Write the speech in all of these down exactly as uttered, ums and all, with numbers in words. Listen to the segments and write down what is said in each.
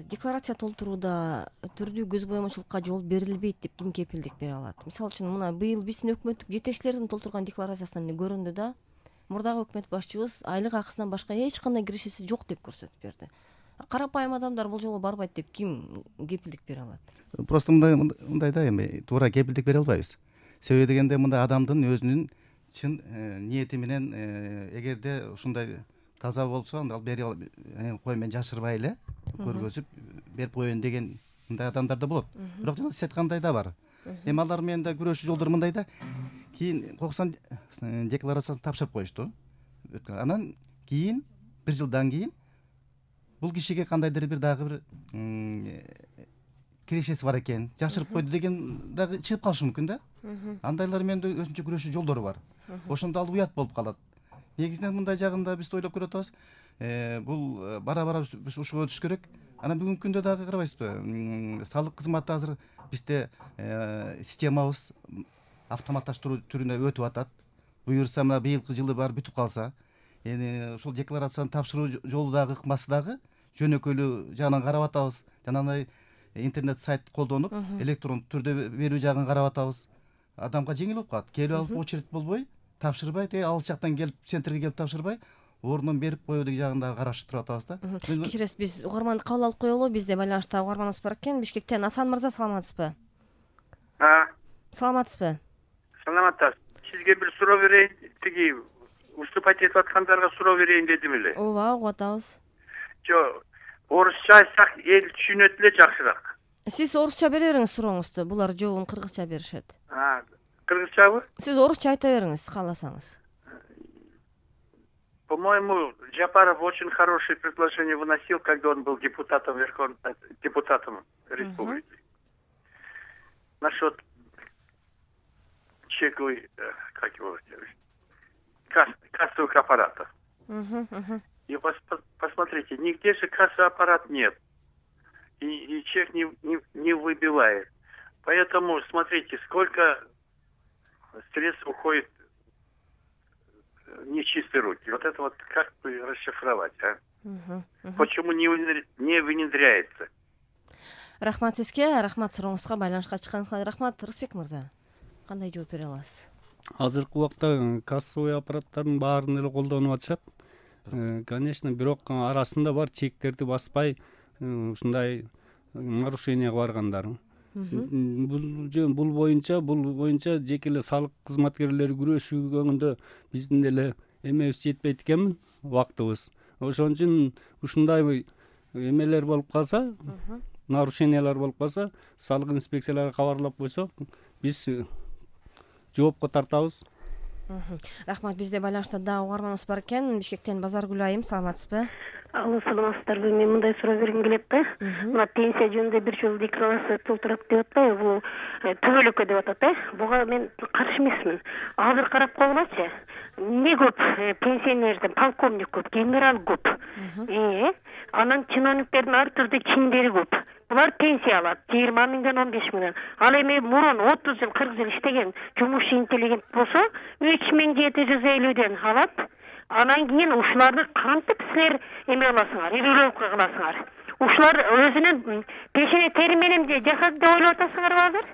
декларация толтурууда түрдүү көз боемочулукка жол берилбейт деп ким кепилдик бере алат? Мисалы үчүн мына быйыл биздин өкмөттүк жетекчилердин толтурган декларациясынан эле көрүндү да, мурдагы өкмөт башчыбыз айлык акысынан башка эч кандай кирешеси жок деп көрсөтүп берди. Карапайым адамдар бул жолу барбайт деп ким кепилдик бере алат? Просто мындай мындай да, эми туура кепилдик бере албайбыз. Себеби дегенде мындай адамдын өзүнүн чын ниети менен эгерде ушундай таза болсо, анда ал бери кой мен жашырбай эле көргөзүп берип коеюн деген мындай адамдар да болот. Бирок жана сиз айткандай да бар. Эми алар менен да күрөшүү жолдору мындай да. Кийин коксон декларациясын тапшырып коюшту. Анан кийин бир жылдан кийин бул кишиге кандайдыр бир дагы бир кирешеси бар экен, жашырып койду деген дагы чыгып калышы мүмкүн да. Андайлар менен да өзүнчө күрөшүү жолдору бар. Ошондо ал уят болуп калат. Негизинен мындай жагында биз ойлоп көрүп атабыз. Бул бара-бара биз ушуга өтүш керек. Анан бүгүнкү күндө дагы карабайсызбы? Салык кызматы азыр бизде системабыз автоматташтыруу түрүнө өтүп атат. Буюрса мына быйылкы жылы баары бүтүп калса, эми ушул декларацияны тапшыруу жолу дагы ыкмасы дагы жөнөкөйлүү жагынан карап атабыз. Жанагындай интернет сайт колдонуп, электрондук түрдө берүү жагын карап атабыз. Адамга жеңил болуп калат. Келип алып очередь болбой, тапшырбай, те алыс жактан келип, центрге келип тапшырбай, ордунан берип коюу деген жагын дагы караштырып атабыз да. Кечиресиз, биз угарманды кабыл алып коелу. Бизде байланышта угарманыбыз бар экен. Бишкектен Асан мырза, саламатсызбы? А. Саламатсызбы? Саламатсыз. Сизге бир суроо берейин. Тиги выступать этип аткандарга суроо берейин дедим эле. Ооба, угуп атабыз. Жок, орусча айтсак эл түшүнөт эле жакшыраак. Сиз орусча бере бериңиз сурооңузду. Булар жообун кыргызча беришет. А, кыргызчабы? Сиз орусча айта бериңиз, кааласаңыз. По-моему, Жапаров очень хорошее предложение выносил, когда он был депутатом Верховного, депутатом республики. Насчет чековой, как его, касс, кассовых аппаратов. Uh-huh, uh-huh. И пос, посмотрите, нигде же кассовый аппарат нет. И, и чек не, не, не выбивает. Поэтому, смотрите, сколько средств уходит в нечистые руки. Вот это вот как бы расшифровать, а? Uh-huh, uh-huh. Почему не, не внедряется? Рахмат сизге, рахмат сурооңузга, байланышка чыкканыңызга рахмат. Рысбек мырза, кандай жооп бере аласыз? Азыркы убакта кассовый аппараттардын баарын эле колдонуп атышат. Конечно, бирок арасында бар чектерди баспай ушундай нарушенияга баргандар. Бул бул боюнча бул боюнча жеке эле салык кызматкерлери күрөшүүгөндө биздин эле эмебиз жетпейт экен, убактыбыз. Ошон үчүн ушундай эмелер болуп калса, нарушениялар болуп калса, салык инспекцияларга кабарлап койсок, биз жоопко тартабыз. Рахмат, бизде байланышта дагы угарманыбыз бар экен. Бишкектен Базаргүл айым, саламатсызбы? Алло, саламатсыздарбы? Мен мындай суроо бергим келет да. Мына пенсия жөнүндө бир жолу декларация толтурат деп атпайбы, бул төбөлөккө деп атат да. Буга мен каршы эмесмин. Азыр карап койгулачы. Эмне көп пенсионерден полковник көп, генерал көп. Э, анан чиновниктердин ар түрдүү чиндери көп. Булар пенсия алат жыйырма миңден он беш миңден. Ал эми мурун отуз жыл кырк жыл иштеген жумушчу интеллигент болсо үч миң жети жүз элүүдөн алат. Анан кийин ушуларды кантип силер эме кыласыңар, регулировка кыласыңар? Ушулар өзүнүн пешене тери менен жашады деп ойлоп атасыңарбы азыр?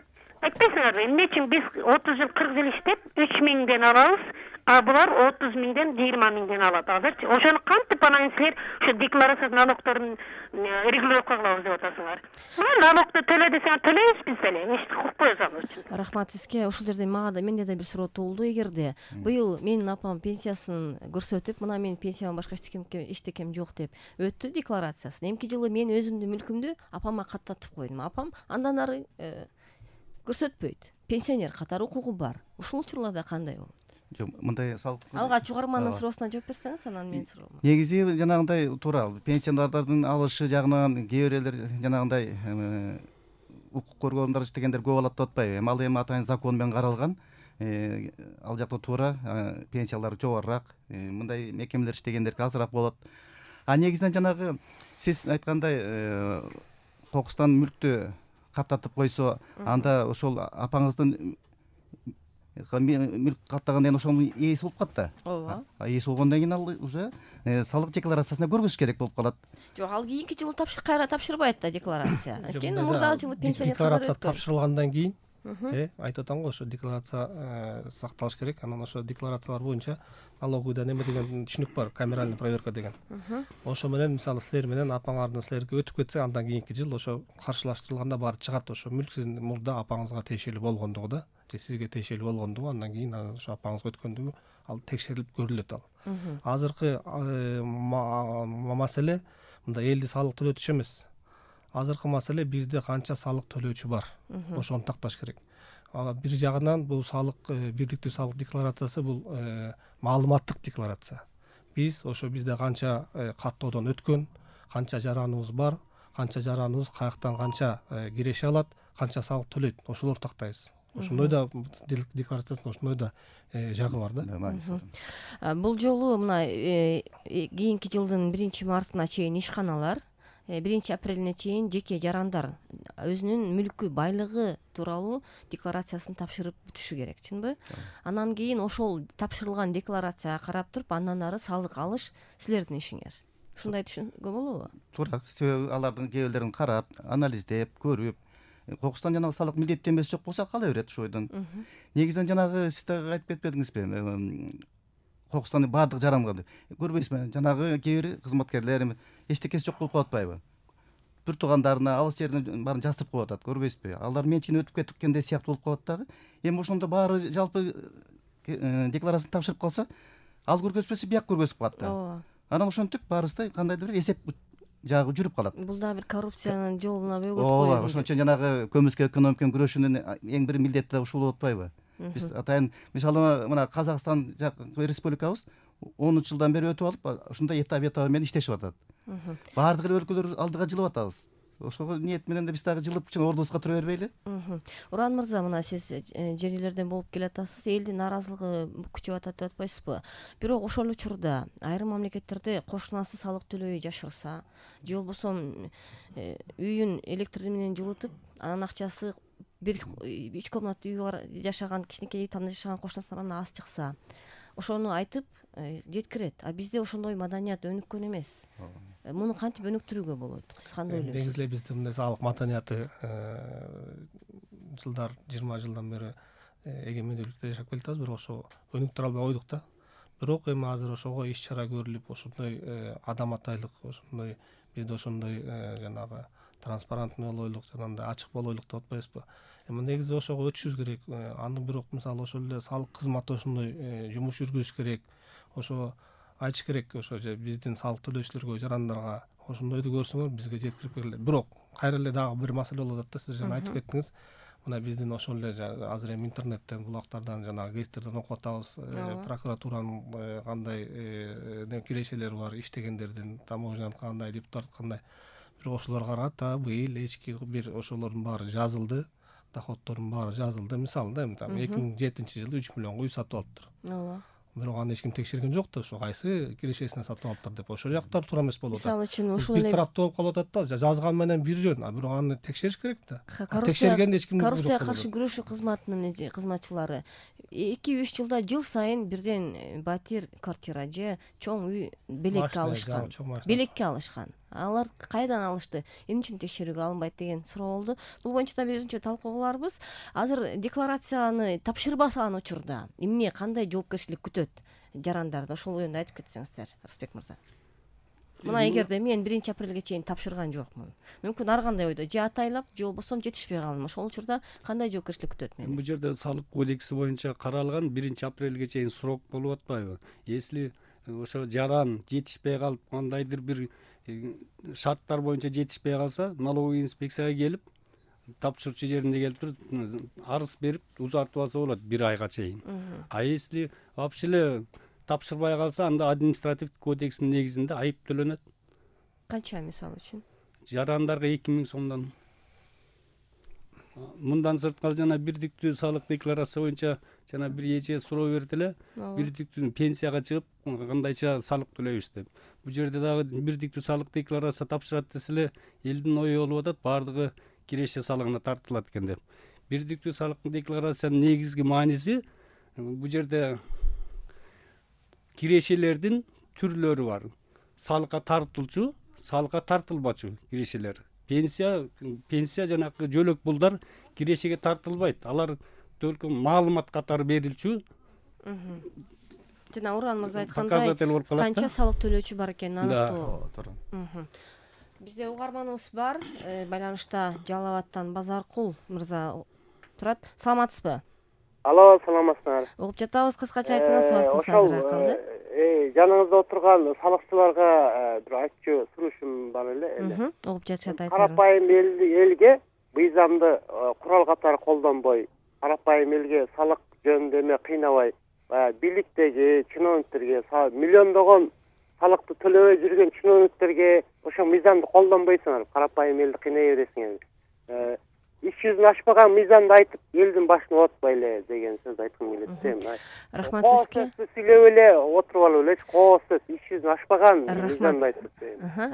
Айтпайсыңарбы? Эмне үчүн биз отуз жыл кырк жыл иштеп үч миңден алабыз, а булар отуз миңден жыйырма миңден алат азырчы? Ошону кантип анан силер ушу декларация налогторун регулировка кылабыз деп атасыңар? Налогду төлө десең төлөйбүз биз деле, эчтеке укпайбыз ал үчүн. Рахмат сизге. Ушул жерде мага да менде да бир суроо туулду. Эгерде быйыл менин апам пенсиясын көрсөтүп, мына менин пенсиямдан башка эчтекем жок деп өттү декларациясын. Эмки жылы мен өзүмдүн мүлкүмдү апама каттатып койдум. Апам андан ары көрсөтпөйт. Пенсионер катары укугу бар. Ушул учурларда кандай болот? Жок, мындай салык. Алгач угармандын суроосуна жооп берсеңиз, анан мен суроомо. Негизи жанагындай туура, пенсионерлардын алышы жагынан кээ бирлер жанагындай укук коргоондар иштегендер көп алат деп атпайбы? Эми ал эми атайын закон менен каралган. Ал жакта туура пенсиялар жогорураак, мындай мекемелер иштегендерге азыраак болот. А негизинен жанагы сиз айткандай кокустан мүлктү каттатып койсо, анда ошол апаңыздын мүлк каттагандан кийин ошонун ээси болуп калат да. ооба. Ээси болгондон кийин ал уже салык декларациясына көргөзүш керек болуп калат. Жок, ал кийинки жылы кайра тапшырбайт да декларация. Анткени мурдагы жылы пенсионер декларация тапшырылгандан кийин айтып атам го, ошо декларация сакталыш керек. Анан ошо декларациялар боюнча налоговыйда неме деген түшүнүк бар, камеральный проверка деген. Ошо менен мисалы силер менен апаңардын силерге өтүп кетсе, андан кийинки жыл ошо каршылаштырылганда баары чыгат. Ошо мүлк сиздин мурда апаңызга тиешелүү болгондугу да, же сизге тиешелүү болгондугу, андан кийин ошо апаңызга өткөндүгү ал текшерилип көрүлөт ал. Азыркы маселе мында элди салык төлөтүш эмес. Азыркы маселе бизде канча салык төлөөчү бар. Ошону такташ керек. Бир жагынан бул салык бирдиктүү салык декларациясы бул маалыматтык декларация. Биз ошо бизде канча каттоодон өткөн, канча жараныбыз бар, канча жараныбыз каяктан канча киреше алат, канча салык төлөйт, ошолорду тактайбыз. Ошондой да декларациясында ошондой да жагы бар да. Бул жолу мына кийинки жылдын биринчи мартына чейин ишканалар, биринчи апрелине чейин жеке жарандар өзүнүн мүлкү, байлыгы тууралуу декларациясын тапшырып бүтүшү керек, чынбы? Анан кийин ошол тапшырылган декларацияга карап туруп, андан ары салык алыш силердин ишиңер. Ушундай түшүнгө болобу? Туура. Алардын кээ бирлерин карап, анализдеп, көрүп, кокустан жанагы салык милдеттенмеси жок болсо кала берет ошо ойдон. Негизинен жанагы сиз дагы айтып кетпедиңизби? Кокустан баардык жаранга көрбөйсүзбү? Жанагы кээ бир кызматкерлер эчтекеси жок болуп калып атпайбы? Бир туугандарына алыс жерден баарын жаздырып коюп атат, көрбөйсүзбү? Алар менчигине өтүп кеткендей сыяктуу болуп калат дагы. Эми ошондо баары жалпы декларацияны тапшырып калса, ал көргөзбөсө бияк көргөзүп калат да. Ооба. Анан ошентип баарыбызда кандайдыр бир эсеп жагы жүрүп калат. Бул да бир коррупциянын жолуна бөгөт коюу. Ооба, ошон үчүн жанагы көмүскө экономика күрөшүүнүн эң бир милдети да ушул болуп атпайбы? Биз атайын мисалы мына Казакстан республикабыз онунчу жылдан бери өтүп алып, ушундай этап этабы менен иштешип атат. Баардык эле өлкөлөр алдыга жылып атабыз. Ошого ниет менен да биз дагы жылып чын ордубузга тура бербейли? Уран мырза, мына сиз жер үйлөрдөн болуп келатасыз, элдин нааразылыгы күчөп атат деп атпайсызбы? Бирок ошол учурда айрым мамлекеттерде кошунасы салык төлөбөй жашырса, же болбосо үйүн электр менен жылытып, анан акчасы бир үч комнаттуу үй бар жашаган, кичинекей үй тамда жашаган кошунасына аз чыкса, ошону айтып жеткирет. А бизде ошондой маданият өнүккөн эмес. Муну кантип өнүктүрүүгө болот? Сиз кандай ойлойсуз? Негизи эле бизде мындай салык маданияты жылдар жыйырма жылдан бери эгемендүүлүктө жашап келатабыз, бирок ошо өнүктүрө албай койдук да. Бирок эми азыр ошого иш чара көрүлүп, ошондой адам атайлык, ошондой бизде ошондой жанагы транспарентный болойлук, жанагындай ачык болойлук деп атпайбызбы? Эми негизи ошого өтүшүбүз керек. Аны бирок мисалы ошол эле салык кызматы ошондой жумуш жүргүзүш керек. Ошо айтыш керек, ошо же биздин салык төлөөчүлөргө, жарандарга ошондойду көрсөңөр бизге жеткирип бергиле. Бирок кайра эле дагы бир маселе болуп атат да, сиз жана айтып кеттиңиз. Мына биздин ошол эле азыр эми интернеттен, булактардан, жанагы гезиттерден окуп атабыз, прокуратуранын кандай кирешелери бар, иштегендердин, таможняны кандай, депутат кандай. Бирок ошолорго карата быйыл эчки бир ошолордун баары жазылды, доходдордун баары жазылды. Мисалы да, эми там эки миң жетинчи жылы үч миллионго үй сатып алыптыр. Ооба. Бирок аны эч ким текшерген жок да, ошо кайсы кирешесине сатып алыптыр деп. Ошол жактар туура эмес болуп атат. Мисалы үчүн ушул эле бир тараптуу болуп калып атат да, жазган менен бир жөн, а бирок аны текшериш керек да. Текшергенде эч ким коррупцияга каршы күрөшүү кызматынын кызматчылары эки үч жылда жыл сайын бирден батир, квартира же чоң үй белекке алышкан. Белекке алышкан. Алар кайдан алышты? Эмне үчүн текшерүүгө алынбайт деген суроо болду. Бул боюнча да бир өзүнчө талкуу кыларбыз. Азыр декларацияны тапшырбасан учурда эмне, кандай жоопкерчилик күтөт жарандарды? Ошол жөнүндө айтып кетсеңиздер, Арсбек мырза. Мына эгерде мен биринчи апрелге чейин тапшырган жокмун, мүмкүн ар кандай ойдо, же атайлап, же болбосо жетишпей калдым. Ошол учурда кандай жоопкерчилик күтөт мени? Бул жерде салык кодекси боюнча каралган биринчи апрелге чейин срок болуп атпайбы? Если ошо жаран жетишпей калып, кандайдыр бир шарттар боюнча жетишпей калса, налоговый инспекцияга келип, тапшырчу жеринде келип туруп арыз берип узартып алса болот бир айга чейин. А если вообще эле тапшырбай калса, анда административдик кодекстин негизинде айып төлөнөт. Канча мисалы үчүн? Жарандарга эки миң сомдон. Мындан сырткары жана бирдиктүү салык декларация боюнча жана бир эже суроо берди эле, бирдиктүү пенсияга чыгып кандайча салык төлөйбүз деп. Бул жерде дагы бирдиктүү салык декларация тапшырат десе эле, элдин ою болуп атат, баардыгы киреше салыгына тартылат экен деп. Бирдиктүү салык декларациянын негизги мааниси бул жерде кирешелердин түрлөрү бар. Салыкка тартылчу, салыкка тартылбачу кирешелер. Пенсия пенсия жанагы жөлөк пулдар кирешеге тартылбайт. Алар только маалымат катары берилчү. Жана Уран мырза айткандай, показатель болуп калат. канча салык төлөөчү бар экенин Да. аныктоо. Бизде угарманыбыз бар, байланышта Жалал Абадтан Базаркул мырза турат. Саламатсызбы? Алло, саламатсыздар. Угуп жатабыз, кыскача айтыңыз, убактыңыз Ошол азыр калды. жаныңызда отурган салыкчыларга бир айтчу сурушум бар эле. Угуп жатышат, айтыңыз. Карапайым элге мыйзамды курал катары колдонбой, карапайым элге салык жөнүндө эме кыйнабай, баягы бийликтеги чиновниктерге, миллиондогон салыкты төлөбөй жүргөн чиновниктерге ошо мыйзамды колдонбойсуңар, карапайым элди кыйнай бересиңер. Иш жүзүн ашпаган мыйзамды айтып, элдин башын оотпой эле деген сөздү айткым келет. Рахмат сизге. Сүйлөп эле отуруп алып эле, коо сөз, иш жүзүн ашпаган мыйзамды айтып.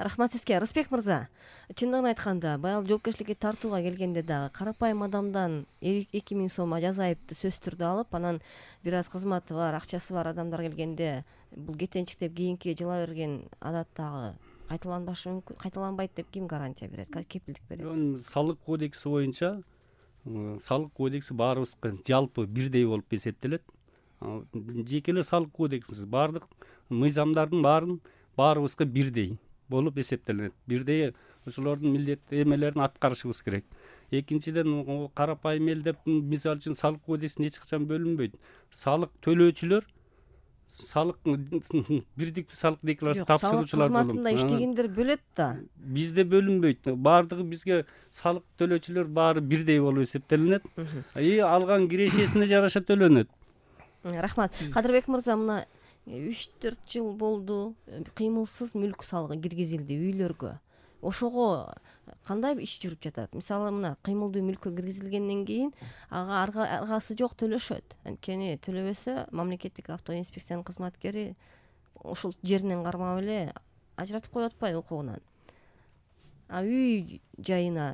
Рахмат сизге. Рысбек мырза, чындыгын айтканда, баял жоопкерчиликке тартууга келгенде дагы карапайым адамдан эки миң сом жаза айыпты сөзсүз түрдө алып, анан бир аз кызматы бар, акчасы бар адамдар келгенде бул кетенчик деп кийинки жыла берген адат дагы кайталанбашы мүмкүн, кайталанбайт деп ким гарантия берет, кепилдик берет? Салык кодекси боюнча салык кодекси баарыбызга жалпы бирдей болуп эсептелет. Жеке эле салык кодекси баардык мыйзамдардын баарын баарыбызга бирдей болуп эсептелет. Бирдей ошолордун милдет эмелерин аткарышыбыз керек. Экинчиден, карапайым эл деп мисалы үчүн салык кодексин эч качан бөлүнбөйт. Салык төлөөчүлөр, салык бирдиктүү салык декларациясы тапшыруучулар болот. Кызматында иштегендер бөлөт да. Бизде бөлүнбөйт. Баардыгы бизге салык төлөөчүлөр баары бирдей болуп эсептелинет. И алган кирешесине жараша төлөнөт. Рахмат. Кадырбек мырза, мына үч төрт жыл болду, кыймылсыз мүлк салыгы киргизилди үйлөргө. Ошого кандай иш жүрүп жатат? Мисалы, мына кыймылдуу мүлккө киргизилгенден кийин ага аргасы жок төлөшөт. Анткени төлөбөсө мамлекеттик автоинспекциянын кызматкери ушул жеринен кармап эле ажыратып коюп атпайбы укугунан? А үй жайына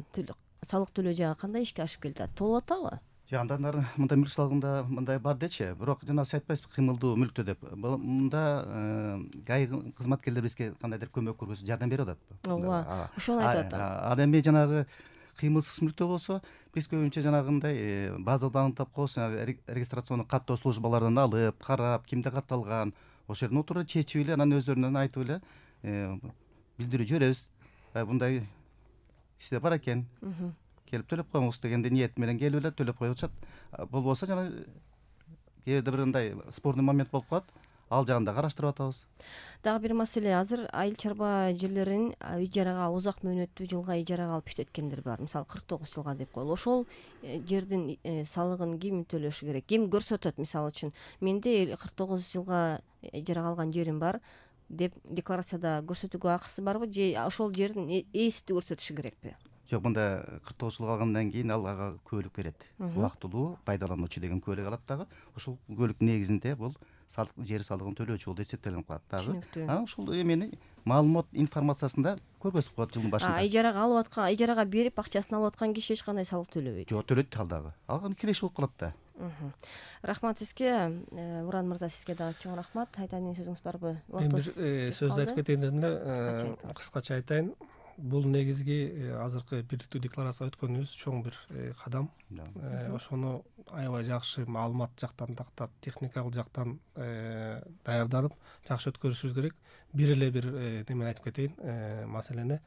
салык төлөө жагы кандай ишке ашып келатат? Толуп атабы? Жандар мындай мүлк салыгында мындай бар дечи, бирок жана сиз айтпайсызбы кыймылдуу мүлктө деп. Мында гай кызматкерлер бизге кандайдыр көмөк көрсөтүп жардам берип атат. Ооба, ошону айтып атам. Ал эми жанагы кыймылсыз мүлктө болсо, биз көбүнчө жанагындай базадан аныктап коебуз, регистрационный каттоо службалардан алып, карап, кимде катталган, ошол жерден отуруп чечип эле, анан өздөрүнөн айтып эле билдирүү жиберебиз. Мындай иште бар экен. Келип төлөп коюңуз дегенде ниет менен келип эле төлөп коюп атышат. Болбосо жана кээ бирде бир мындай спорный момент болуп калат. Ал жагын да караштырып атабыз. Дагы бир маселе, азыр айыл чарба жерлерин ижарага узак мөөнөттүү жылга ижарага алып иштеткендер бар. Мисалы кырк тогуз жылга деп коелу. Ошол жердин салыгын ким төлөшү керек? Ким көрсөтөт? Мисалы үчүн менде кырк тогуз жылга ижарага алган жерим бар деп декларацияда көрсөтүүгө акысы барбы же ошол жердин ээси көрсөтүшү керекпи? Жок, мында кырк тогуз жыл калгандан кийин ал ага күбөлүк берет. Убактылуу пайдалануучу деген күбөлүк алат дагы. Ошол күбөлүктүн негизинде бул салык жер салыгын төлөөчү болуп эсептелип калат дагы. Анан ушул эмени маалымат информациясында көргөзүп коет жылдын башында. А ижарага алып аткан, ижарага берип акчасын алып аткан киши эч кандай салык төлөбөйт. Жок, төлөйт ал дагы. Алган киреше болуп калат да. Рахмат сизге. Уран мырза, сизге дагы чоң рахмат. Айтайын деген сөзүңүз барбы? Мен бир сөздү айтып кетейин дедим эле, кыскача айтайын. Бул негизги азыркы бирдиктүү декларацияга өткөнүбүз чоң бир кадам. Ошону аябай жакшы маалымат жактан тактап, техникалык жактан даярданып, жакшы өткөрүшүбүз керек. Бир эле бир неме айтып кетейин, маселени.